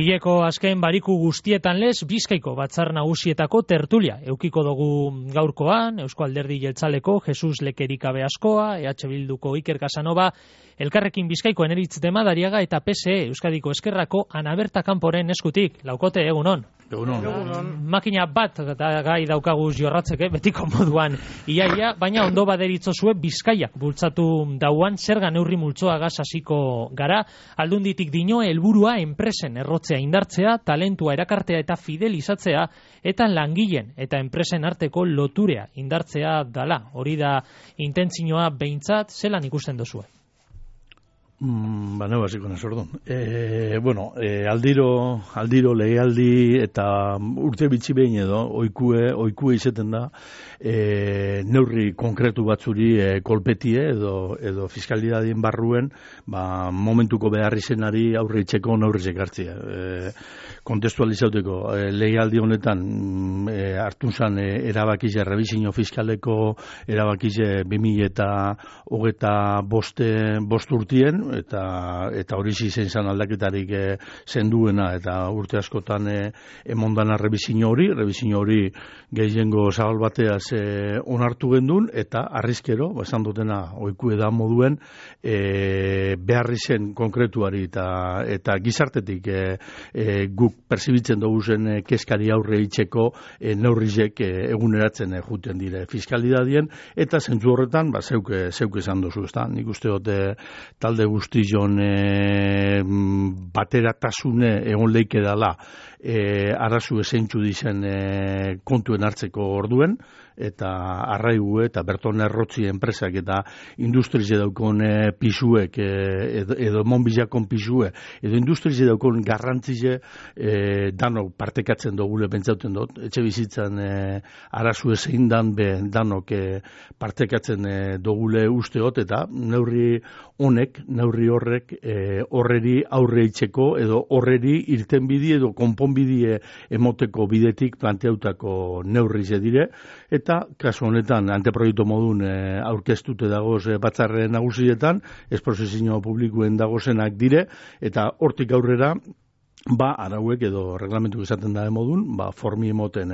Hileko azken bariku guztietan lez, Bizkaiko batzar nagusietako tertulia. Eukiko dugu gaurkoan, Eusko Alderdi Jeltzaleko Jesus Lekerikabe Askoa, EH Bilduko Iker Casanova, Elkarrekin Bizkaiko Eneritz Demadariaga eta PSE Euskadiko Eskerrako Ana Berta Kanporen eskutik. Laukote, egunon. Egunon. Makina bat gai daukaguz jorratzeke, betiko moduan iaia, baina ondo baderitzozue Bizkaiak bultzatu dauan zerga neurri multzoagaz hasiko gara. Aldunditik dio helburua enpresen errotzea indartzea, talentua erakartea eta fidelizatzea, eta langileen eta enpresen arteko loturea indartzea dala. Hori da intentzioa behintzat, zelan ikusten duzue? Ba, hasiko naiz orduan. Aldiro legealdi eta urte bitxi behin edo oikue izaten da neurri konkretu batzuri kolpetie edo fiskalidadien barruen momentuko behar izenari aurre itxeko neurrizek hartzia. Kontestualizauteko legealdi honetan hartu zan erabakize errebizio fiskaleko erabakize 2025 urtien eta hori izen zan aldaketarik zenduena eta urte askotan emondana errebizio hori gehiengo zabal bateaz onartu gendun eta arrizkero, esan dutena oikue da moduen behar izen konkretuari eta gizartetik guk perzibitzen dugu zen kezkari aurre itxeko neurrizek eguneratzen juten dire fiskalidadien eta zentzu horretan zeuk esan duzu, ezta? Nik uste dut talde guztion bateratasune egon leike dala arazu esentzu dizen kontuen hartzeko orduen eta arraigu eta berton errotzi enpresak eta industrize daukon pisuek edo monbilakon pisue edo industrize daukon garrantzize danok partekatzen dugule pentsauten dut, etxe bizitzan arazu ezein dan danok partekatzen dugule usteot eta neurri horrek horreri aurre itxeko edo horreri irtenbidi edo konponbidie emoteko bidetik planteautako neurri ze dire eta kasu honetan anteproiektu modun aurkeztute dagoz batzarre nagusietan, esprozesio publikoen dagozenak dire eta hortik aurrera arauek edo reglamentu izaten da modun, formi emoten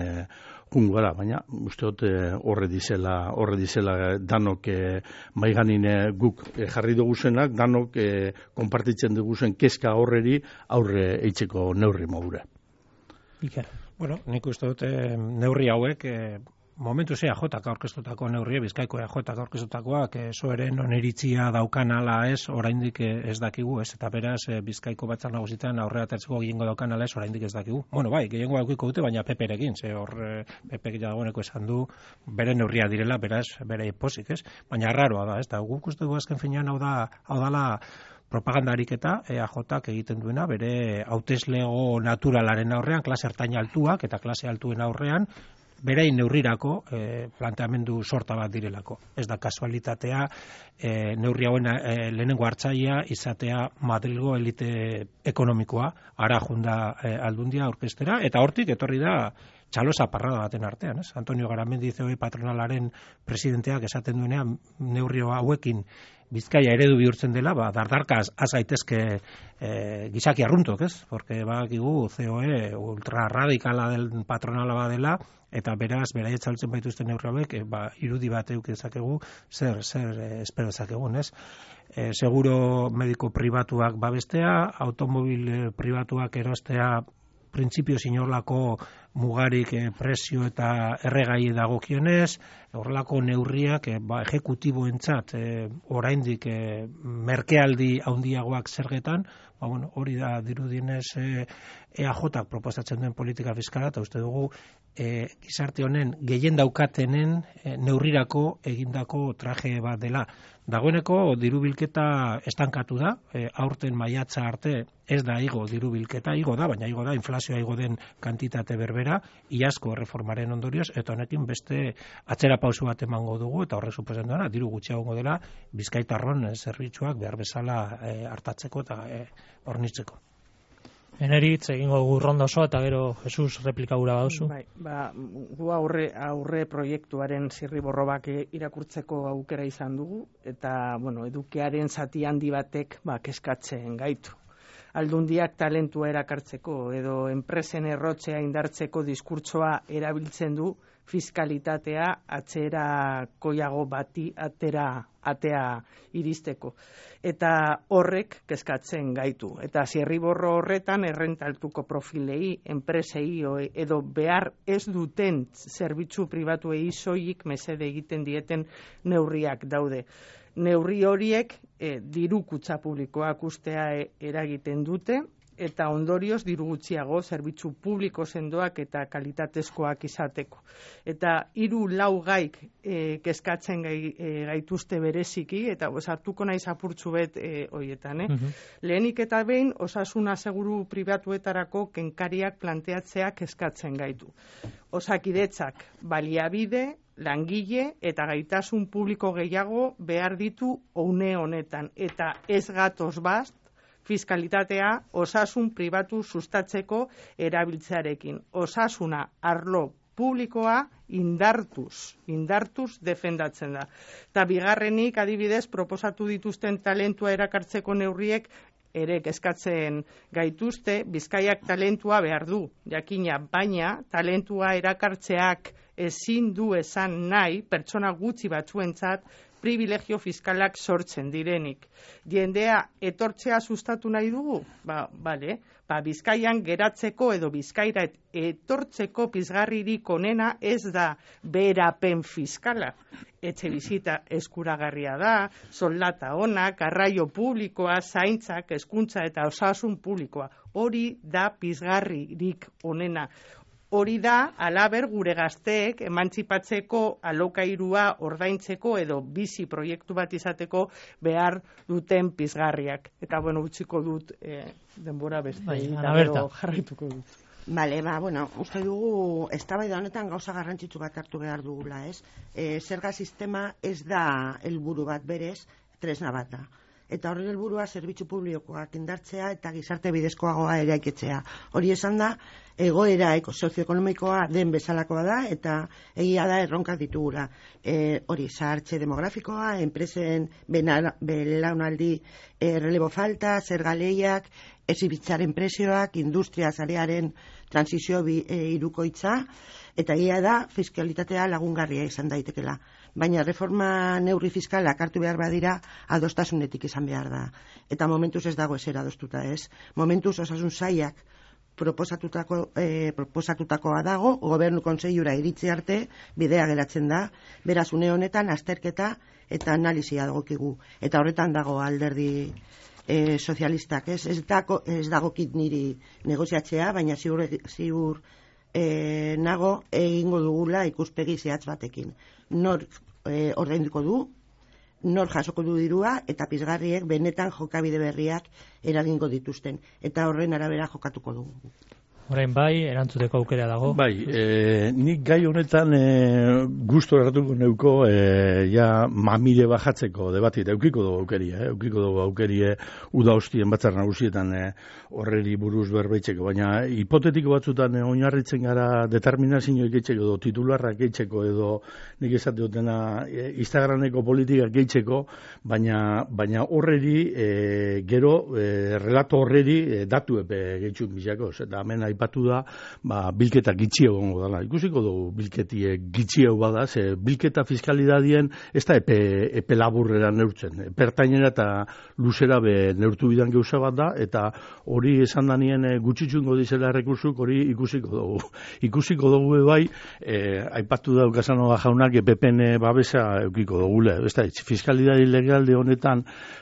jungo gara, baina uste dut horre dizela danok maiganin guk jarri duguzenak, danok konpartitzen duguzen kezka horreri aurre eitzeko neurri modura. Iker. Bueno, nik uste dut neurri hauek momentu ze AJak aurkeztutako neurria, Bizkaiko AJak aurkeztutakoak soeren oniritzia daukan ala ez, oraindik ez dakigu, ez, eta beraz Bizkaiko batzar nagusietan aurrera atertzeko gehiengo daukan ala ez, oraindik ez dakigu. Bueno, bai, gehiengo aukiko dute, baina PP-rekin, ze hor PP dagoeneko esan du bere neurria direla, beraz, bere posik, ez? Baina arraroa da, ez da, guk uste du azken finean hau dala propagandarik eta AJak egiten duena bere hauteslego naturalaren aurrean, klase ertain altuak eta klase altuen aurrean, berein neurrirako planteamendu sorta bat direlako. Ez da kasualitatea neurri hauen lehenengo hartzailea izatea Madrilgo elite ekonomikoa, ara junda aldundia aurkeztera, eta hortik etorri da txalosa parrada baten artean. Ez? Antonio Garamendi COE patronalaren presidenteak esaten duenean neurri hauekin Bizkaia eredu bihurtzen dela, dardarka azaitezke gizaki arruntok, ez? Porque bakigu COE ultrarradikala del patronala badela, eta beraz, beraiet saltzen baituzten neurri hauek, irudi bat eduki dezakegu, zer espero dezakegun, ez? Seguro mediko pribatuak babestea, automobil pribatuak erostea, printzipio sinorlako mugarik presio eta erregai dagokionez, horrelako neurriak ejekutiboentzat oraindik merkealdi handiagoak zergetan, hori da dirudienez EAJak proposatzen duen politika fiskala, eta uste dugu gizarte honen gehien daukatenen neurrirako egindako traje bat dela. Dagoeneko dirubilketa estankatu da, aurten maiatza arte ez da igo dirubilketa, igo da, baina igo da, inflazioa igo den kantitate berbera, iazko reformaren ondorioz, eta honekin beste atzera pausu bat emango dugu, eta horrek suposatzen duena, diru gutxiago dela, Bizkaitarron zerbitzuak behar bezala hartatzeko eta hornitzeko. Eneritz, egingo ronda osoa eta gero Jesus replika gura baduzu. Bai, gu aurre proiektuaren zirriborrobak irakurtzeko aukera izan dugu eta edukiaren zati handi batek kezkatzen gaitu. aldundiak talentua erakartzeko edo enpresen errotzea indartzeko diskurtsoa erabiltzen du fiskalitatea atzerakoiago bati atea iristeko. Eta horrek kezkatzen gaitu. Eta zirriborro horretan errentaltuko profilei, enpresei edo behar ez duten zerbitzu pribatuei soilik mesede egiten dieten neurriak daude. Neurri horiek diru kutxa publikoak ustea eragiten dute, eta ondorioz diru gutxiago zerbitzu publiko sendoak eta kalitatezkoak izateko. Eta 3-4 gaik kezkatzen gaituzte bereziki, eta hartuko naiz apurtxu bet horietan. Lehenik eta behin, osasun aseguru pribatuetarako kenkariak planteatzeak kezkatzen gaitu. Osakidetzak baliabide, langile eta gaitasun publiko gehiago behar ditu une honetan, eta ez gatoz bat fiskalitatea osasun pribatu sustatzeko erabiltzearekin. Osasuna arlo publikoa indartuz defendatzen da. Eta bigarrenik adibidez proposatu dituzten talentua erakartzeko neurriek ere kezkatzen gaituzte. Bizkaiak talentua behar du, jakina, baina talentua erakartzeak ezin du esan nahi pertsona gutxi batzuentzat privilegio fiskalak sortzen direnik. Jendea etortzea sustatu nahi dugu? Bale, Bizkaian geratzeko edo Bizkaira etortzeko pizgarririk onena ez da beherapen fiskala. Etxebizitza eskuragarria da, soldata onak, garraio publikoa, zaintzak, hezkuntza eta osasun publikoa. Hori da pizgarririk onena. Hori da, halaber gure gazteek emantzipatzeko alokairua ordaintzeko edo bizi proiektu bat izateko behar duten pizgarriak. Eta, utziko dut denbora beste, eta gero jarraituko dut. Bale, uste dugu, eztabaida honetan gauza garrantzitsu bat hartu behar dugula, ez? Zerga sistema ez da helburu bat berez, tresna bat da. Eta horren helburua zerbitzu publikoak indartzea eta gizarte bidezkoagoa eraikitzea. Hori esan da, egoera sozioekonomikoa den bezalakoa da, eta egia da erronkak ditugula. Hori, zahartze demografikoa, enpresen belaunaldi relebo falta, zerga lehiak, ezibitzaren presioak, industria zarearen transizio hirukoitza, eta egia da fiskalitatea lagungarria izan daitekela. Baina reforma neurri fiskalak hartu behar badira adostasunetik izan behar da. Eta momentuz ez dago ezer adostuta ez. Momentuz osasun sailak proposatutakoa dago, gobernu kontseiura iritzi arte bidea geratzen da, beraz une honetan azterketa eta analizia dagokigu. Eta horretan dago alderdi sozialistak ez dagokit niri negoziatzea, baina ziur nago egingo dugula ikuspegi zehatz batekin. Nor ordainduko du, nor jasoko du dirua, eta pizgarriek benetan jokabide berriak eragingo dituzten. Eta horren arabera jokatuko dugu. Orain bai, erantzuteko aukera dago. Bai, nik gai honetan gustu erratuko neuko ja mamire bajatzeko debatit, eukiko dugu aukerie uda hostien batzar nagusietan horreri buruz berbeitzeko, baina hipotetiko batzutan oinarritzen gara determinazioak gehitzeko edo titularrak gehitzeko edo nik esate dutena Instagrameko politikak gehitzeko, baina horreri gero relato horreri datu epe gehitxun bizako, eta hemen aipatu da, bilketa gitxio gongo dela. Ikusiko dugu bilketie gitxio bada, ze bilketa fiskalidadien ez da epe laburrera neurtzen. Pertainera eta luzera be neurtu bidan gauza bat da, eta hori esan danien gutxitxungo dizela errekursuk, hori ikusiko dugu. Ikusiko dugu bai, aipatu da Casanova jaunak PPN babesa eukiko dugule. Ez da, fiskalidadi legalde honetan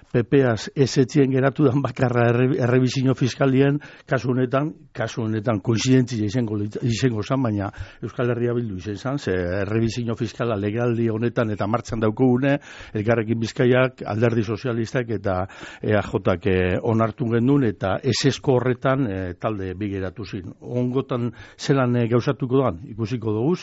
PPaz ez etzien geratu dan bakarra errebizio fiskalien kasu honetan koinzidentzia izango zan, baina Euskal Herria Bildu izan, ze errebizio fiskala legaldi honetan eta martxan daukugune, Elkarrekin Bizkaiak, Alderdi Sozialistak eta EAJak onartu gendun, eta esesko horretan talde bigeratu zin. Ongotan zelan gauzatuko doan, ikusiko dugu,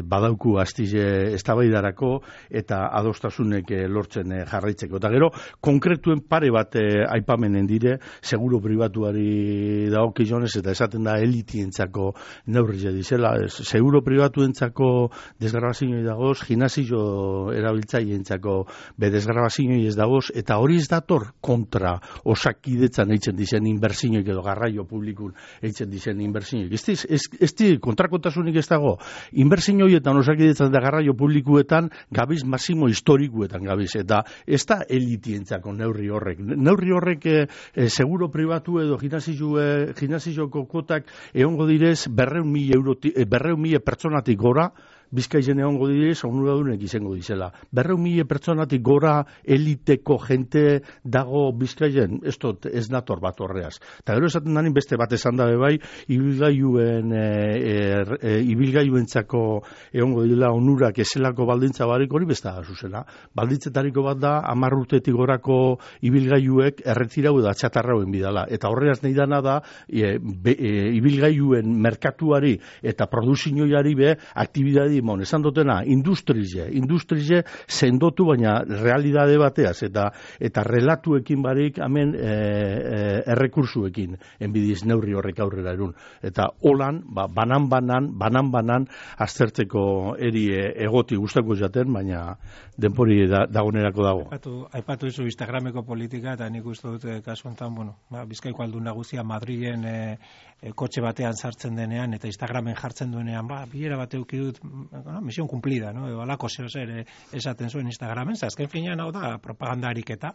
badauku astize eztabaidarako eta adostasunek lortzen jarraitzeko. Eta gero, konkretuen pare bat aipamenen dire, seguro pribatuari dago okionez eta esaten da elitientzako neurria dizela, seguro pribatuentzako desgrabazioi dagoz, gimnasio erabiltzaileentzako desgrabazioi ez dagoz, eta hori ez dator kontra osakidetzan eitzen dizen inbertsioik edo garraio publikun eitzen dizen inbertsioik. Ez di kontrakotasunik ez dago, inbertsioietan osakidetzan da garraio publikuetan gabiz masimo historikuetan gabiz, eta ez da elitientzako neurri horrek. Neurri horrek seguro pribatu edo gimnasioko kuotak egongo direz 200.000 pertsonatik gora, Bizkaizen egongo direz, onuradunek izango dizela. 200.000 pertsonatik gora eliteko jente dago Bizkaizen, ez nator bat horreaz. Eta gero esaten danin beste bat esan dabe bai, ibilgailuentzako egongo dira onurak ezelako baldintza barik hori beste da zuzena. Baldintzetariko bat da 10 urtetik gorako ibilgailuek erretirau edo atxatarrauen bidala. Eta horreaz nahi dana da, ibilgailuen merkatuari eta produzioari be aktibidadi esan dutena, industrize sendotu, baina realidade bateaz, eta relatuekin barik, hemen errekursuekin, enbidiz neurri horrek aurrera erun. Eta holan, banan, aztertzeko eri egoti gustako jaten, baina denpori dagonerako dago. Aipatu izu Instagrameko politika, eta nik uste dut kasu honetan, Bizkaiko aldun nagusia Madrilen kotxe batean sartzen denean, eta Instagramen jartzen duenean, bilera bat euki dut, misión cumplida, no? Edo alako zer esaten zuen Instagramen, azken finean hau da propaganda ariketa.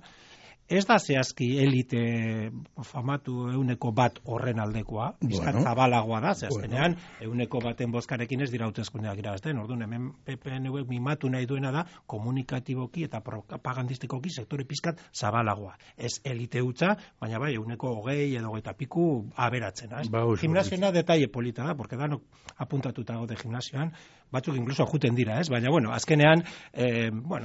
Ez da zehazki elite famatu 100% horren aldekoa, bizkat zabalagoa da, zehazkenean 100% bozkarekin ez dira hauteskundeak irabazten, orduan hemen PPN-ek mimatu nahi duena da komunikatiboki eta propagandistikoki sektore pizkat zabalagoa. Ez elite hutsa, baina bai 20 edo 20 piku aberatzen. Gimnasioa detalle polita da, porque danok apuntatuta gaude gimnasioan, batzuk inkluso juten dira, ez? Baina, azkenean,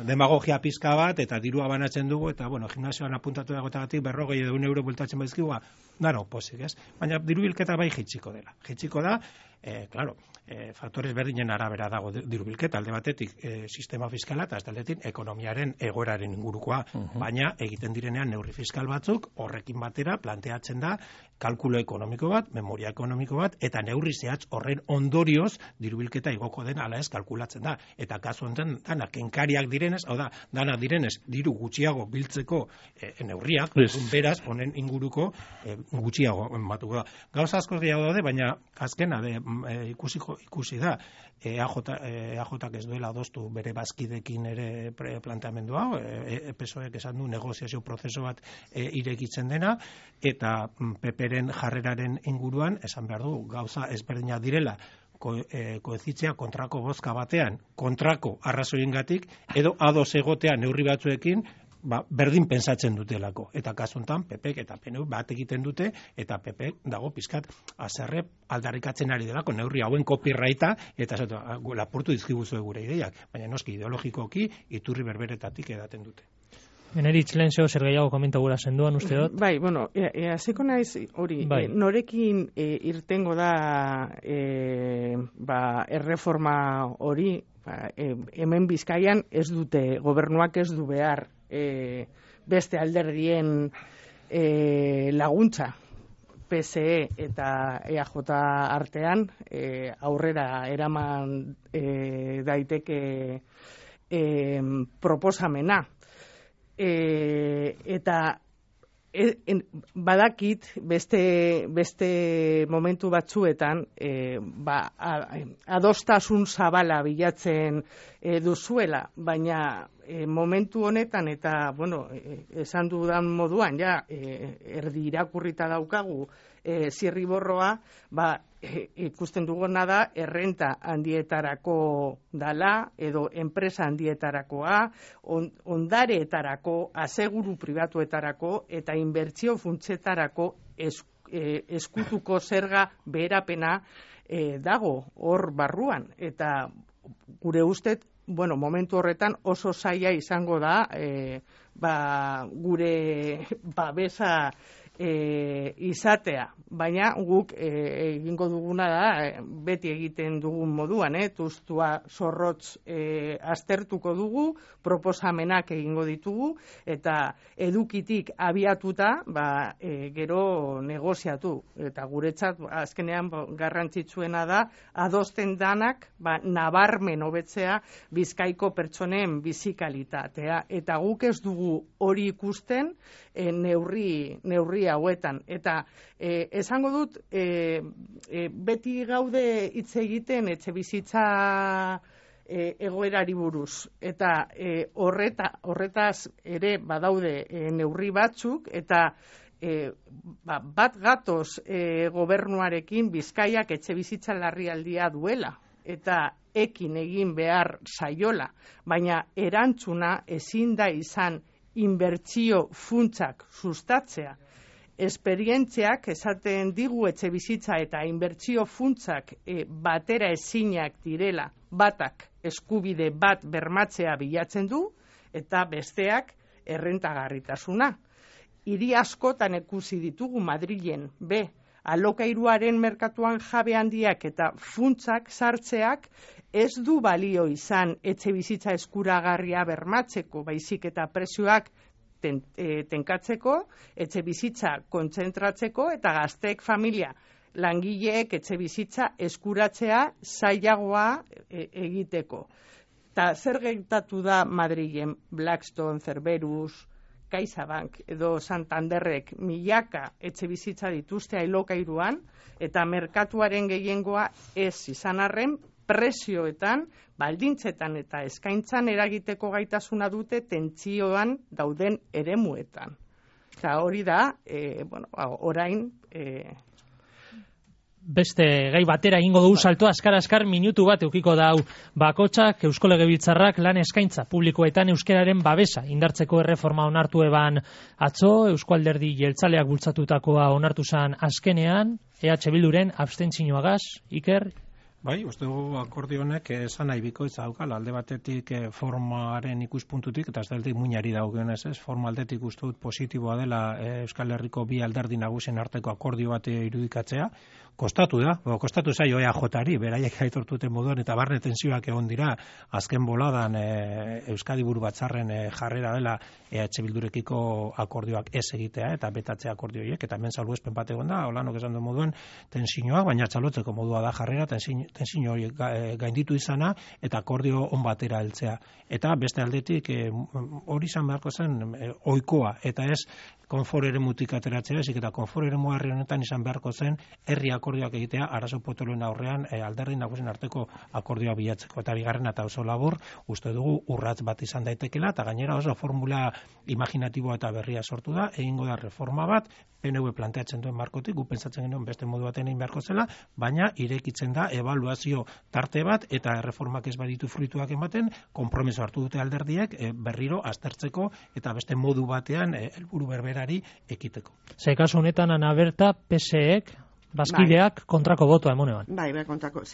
demagogia pizka bat, eta dirua banatzen dugu, eta, gimnasioan apuntatu dagoetagatik 40 edo 1 euro bueltatzen baizkigua, dano, posik, ez? Baina, dirubilketa bai jitsiko dela. Jitsiko da, faktores berdinen arabera dago dirubilketa, alde batetik sistema fiskala, eta aldetik ekonomiaren egoeraren ingurukoa, baina egiten direnean neurri fiskal batzuk, horrekin batera planteatzen da kalkulo ekonomiko bat, memoria ekonomiko bat, eta neurri zehatz horren ondorioz dirubilketa igoko den ala ez kalkulatzen da. Eta kasu honetan, dana kenkariak direnez, hau da, dana direnez, diru gutxiago biltzeko neurriak, beraz, honen inguruko gutxiago batuko da. Gauza asko gehiago daude, baina azkena ikusi da, EAJak ez duela adostu bere bazkidekin ere planteamendu hau, PSOEk esan du negoziazio prozeso bat irekitzen dena, eta PPren jarreraren inguruan, esan behar du, gauza ezberdina direla, koezitzea kontrako bozka batean, kontrako arrazoiengatik, edo ados egotea neurri batzuekin, berdin pensatzen dutelako. Eta kasu honetan, PPek eta PNU bat egiten dute, eta PPek dago pizkat azerre aldarrikatzen ari delako, neurri hauen copyrighta, eta lapurtu dizkiguzue gure ideiak, baina noski ideologikoki iturri berberetatik edaten dute. Eneritz lehen zer gehiago komenta gura senduan, uste dut? Bai, hasiko naiz hori, norekin irtengo da erreforma hori, hemen Bizkaian ez dute, gobernuak ez du behar beste alderdien laguntza PSE eta EAJ artean aurrera eraman daiteke proposamena. Eta badakit beste momentu batzuetan adostasun zabala bilatzen duzuela, baina momentu honetan eta esan dudan moduan erdi irakurrita daukagu zirriborroa, ikusten duguna da errenta handietarako dala edo enpresa handietarakoa, ondareetarako, aseguru pribatuetarako eta inbertsio funtsetarako eskutuko zerga beherapena dago hor barruan. Eta gure ustez, momentu horretan oso zaila izango da gure babesa izatea, baina guk egingo duguna da, beti egiten dugun moduan, tuztua zorrotz aztertuko dugu, proposamenak egingo ditugu, eta edukitik abiatuta, gero negoziatu, eta guretzat azkenean garrantzitsuena da, adosten danak, nabarmen hobetzea Bizkaiko pertsonen bizikalitatea, eta guk ez dugu hori ikusten neurri hauetan. Eta esango dut, beti gaude hitz egiten etxe bizitza egoerari buruz. Eta horretaz ere badaude neurri batzuk, eta bat gatoz gobernuarekin Bizkaiak etxe bizitza larrialdia duela. Eta ekin egin behar saiola, baina erantzuna ezin da izan inbertsio funtsak sustatzea. Esperientziak esaten digu etxe bizitza eta inbertsio funtsak batera ezinak direla, batak eskubide bat bermatzea bilatzen du, eta besteak errentagarritasuna. Hiri askotan ikusi ditugu Madrilen, alokairuaren merkatuan jabe handiak eta funtsak sartzeak ez du balio izan etxe bizitza eskuragarria bermatzeko, baizik eta prezioak tenkatzeko, etxe bizitza kontzentratzeko eta gazteek familia langileek etxe bizitza eskuratzea zailagoa egiteko. Ta zer gertatu da Madrilen? Blackstone, Cerberus, CaixaBank edo Santanderrek milaka etxe bizitza dituzte alokairuan, eta merkatuaren gehiengoa ez izan arren, prezioetan, baldintzetan eta eskaintzan eragiteko gaitasuna dute tentsioan dauden eremuetan. Eta hori da, orain... Beste gai batera egingo dugu salto, askar minutu bat eukiko da hau. Bakotxak, Eusko Legebiltzarrak lan eskaintza publikoetan euskararen babesa indartzeko erreforma onartu eban atzo, Eusko Alderdi Jeltzaleak bultzatutakoa onartu zan azkenean, EH Bilduren abstentzioagaz, Iker? Bai, uste dugu akordio honek esan nahi bikoitza daukala, alde batetik formaren ikuspuntutik, eta ez da muinari daukionez, forma aldetik uste dut positiboa dela Euskal Herriko bi alderdi nagusien arteko akordio bat irudikatzea. Kostatu zaio EAJ-ari, beraiek aitortuten moduan, eta barne tensioak egon dira, azken boladan Euskadi Buru Batzarren jarrera dela EH Bildurekiko akordioak ez egitea, eta betatzea akordioiek, eta hemen salbuespen bat egon da, holanok esan du moduan, tensioak, baina txalotzeko modua da jarrera, tensio hori gainditu izana, eta akordio on batera heltzea. Eta beste aldetik, hori izan beharko zen ohikoa, eta ez konfor eremutik ateratzea, ezik eta konfor eremu herri honetan izan beharko zen herri akordioak egitea arazo potoloen aurrean alderdi nagusien arteko akordioa bilatzeko. Eta bigarrena eta oso labur, uste dugu urrats bat izan daitekela, eta gainera oso formula imaginatiboa eta berria sortu da, egingo da reforma bat, PNV planteatzen duen markotik, gu pentsatzen genuen beste modu baten egin beharko zela, baina irekitzen da ebaluazio tarte bat, eta reformak ez baditu fruituak ematen, konpromiso hartu dute alderdiek berriro aztertzeko, eta beste modu batean helburu berberari ekiteko. Ze kasu honetan Ana Berta, PSEek, bazkideak kontrako botoa emonean. Bai, kontrako.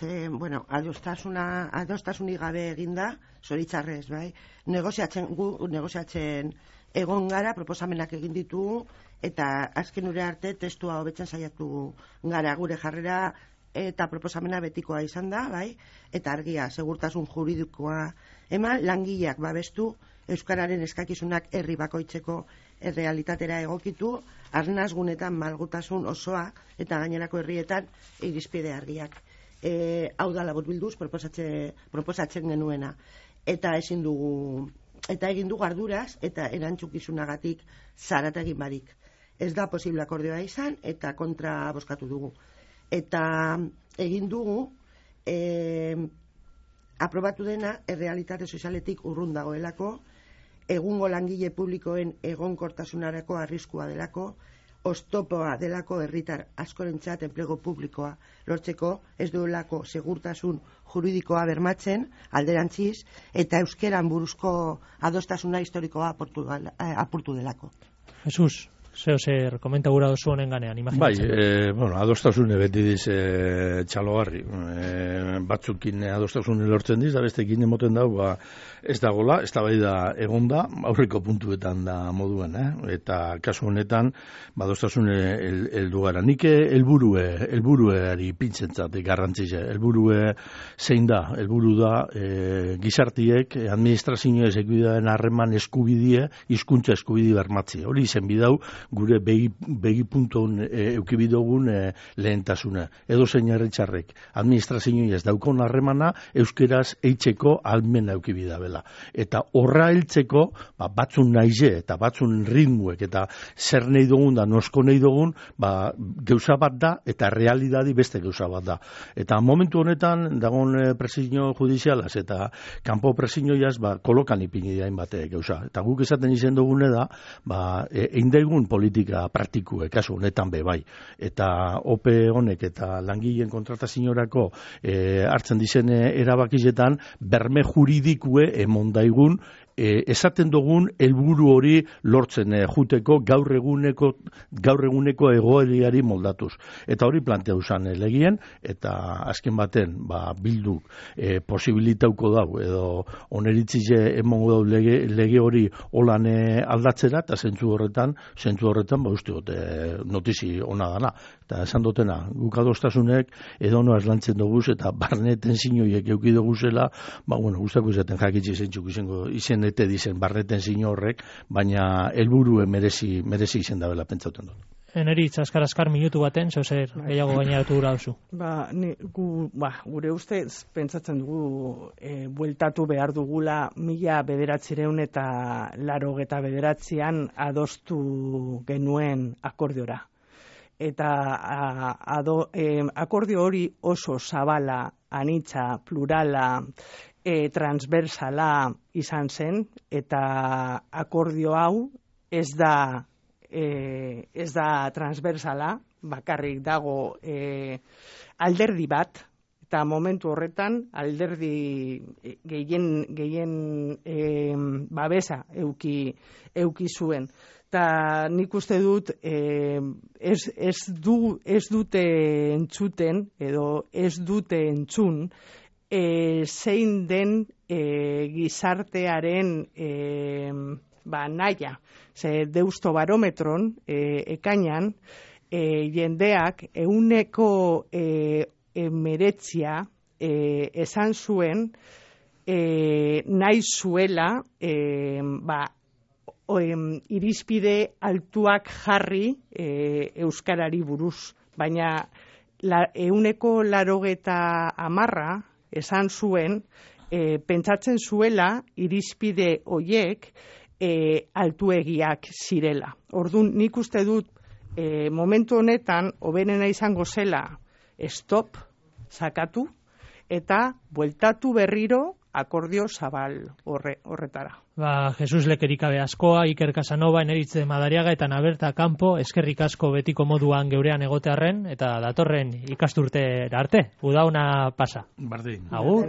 Adostasunik gabe eginda, zoritzarrez, bai. Negoziatzen egon gara, proposamenak egin ditugu, eta azken ure arte testua hobetzen saiatu gara, gure jarrera eta proposamena betikoa izan da, bai, eta argia, segurtasun juridikoa eman, langileak babestu, euskararen eskakizunak herri bakoitzeko errealitatera egokitu, arnazgunetan malgutasun osoa eta gainerako herrietan irizpide argiak. Hau da laburbilduz proposatzen genuena, eta ezin dugu, eta egin dugu arduraz eta erantzukizunagatik zarata egin barik. Ez da posible akordioa izan eta kontra bozkatu dugu. Eta egin dugu aprobatu dena errealitate sozialetik urrun dagoelako, egungo langile publikoen egonkortasunarako arriskua delako, oztopoa delako herritar askorentzat enplegu publikoa lortzeko, ez duelako segurtasun juridikoa bermatzen alderantziz, eta euskeran buruzko adostasuna historikoa apurtu delako. Jesus. zer komenta gura dozu honen ganean, imaginatzen. Bai, adostasune beti diz txalogarri. Batzukin adostasune lortzen diz, da bestekin emoten dau, ez dagola, ez da bai da egonda, aurreko puntuetan da moduen, eta kasu honetan, adostasune heldu gara. Nik helburuari pintzentzat garrantzize. Helburue zein da? Helburu da gizartiek, administrazioa ezekbidearen harreman eskubidie, hizkuntza eskubidi bermatzi. Hori izen bidau, gure begi puntun eukibidogun lehentasuna. Edo zein herritxarrek administrazioa ez daukon harremana euskeraz eitzeko almena eukibida bela. Eta horra heltzeko batzun naize eta batzun ritmuek eta zer nahi dugun da nosko nahi dugun gauza bat da eta realidadi beste gauza bat da. Eta momentu honetan dagoen presio judizialaz eta kanpo presioiaz kolokan ipini dain bate gauza. Eta guk esaten izen dugune da eindaigun politika praktikuek, kasu honetan bai. Eta OPE honek eta langileen kontrataziorako hartzen dizen erabakizetan berme juridikue emondaigun esaten dugun helburu hori lortzen juteko gaur eguneko egoeriari moldatuz. Eta hori planteatu zen legien, eta azken baten bilduk posibilitauko dau, edo oneritzize emongo dau lege hori holan aldatzera, eta zentzu horretan uste dut notizi ona dana. Eta esan dutena, guk adostasunek edo noaz lantzen duguz, eta barneten zinioiek euki duguzela, guztako izaten jakitzi zentzuk izen ete dizen barneten zino horrek, baina helburue merezi izen dabela pentsauten dut. Eneritz, azkar minutu baten, zer gehiago gaineratu gura duzu? Gure ustez, pentsatzen dugu, bueltatu behar dugula 1989 eta 1989an adostu genuen akordiora. Eta akordio hori oso zabala, anitza, plurala, transversala izan zen, eta akordio hau ez da transversala, bakarrik dago alderdi bat, eta momentu horretan alderdi gehien babesa euki zuen. Eta nik uste dut ez dute entzuten edo ez dute entzun zein den gizartearen naia. Deusto barometron ekainan jendeak 19% esan zuen nahi zuela irizpide altuak jarri euskarari buruz, baina 80% esan zuen pentsatzen zuela irizpide hoiek altuegiak zirela. Orduan nik uste dut momentu honetan hoberena izango zela stop, sakatu eta bueltatu berriro akordio zabal horretara. Jesus Lekerikabe askoa, Iker Casanova, Eneritz Madariaga eta Naberta Campo, eskerrik asko betiko moduan geurean egotearren, eta datorren ikasturtera arte. Udauna pasa. Bardin. Agur.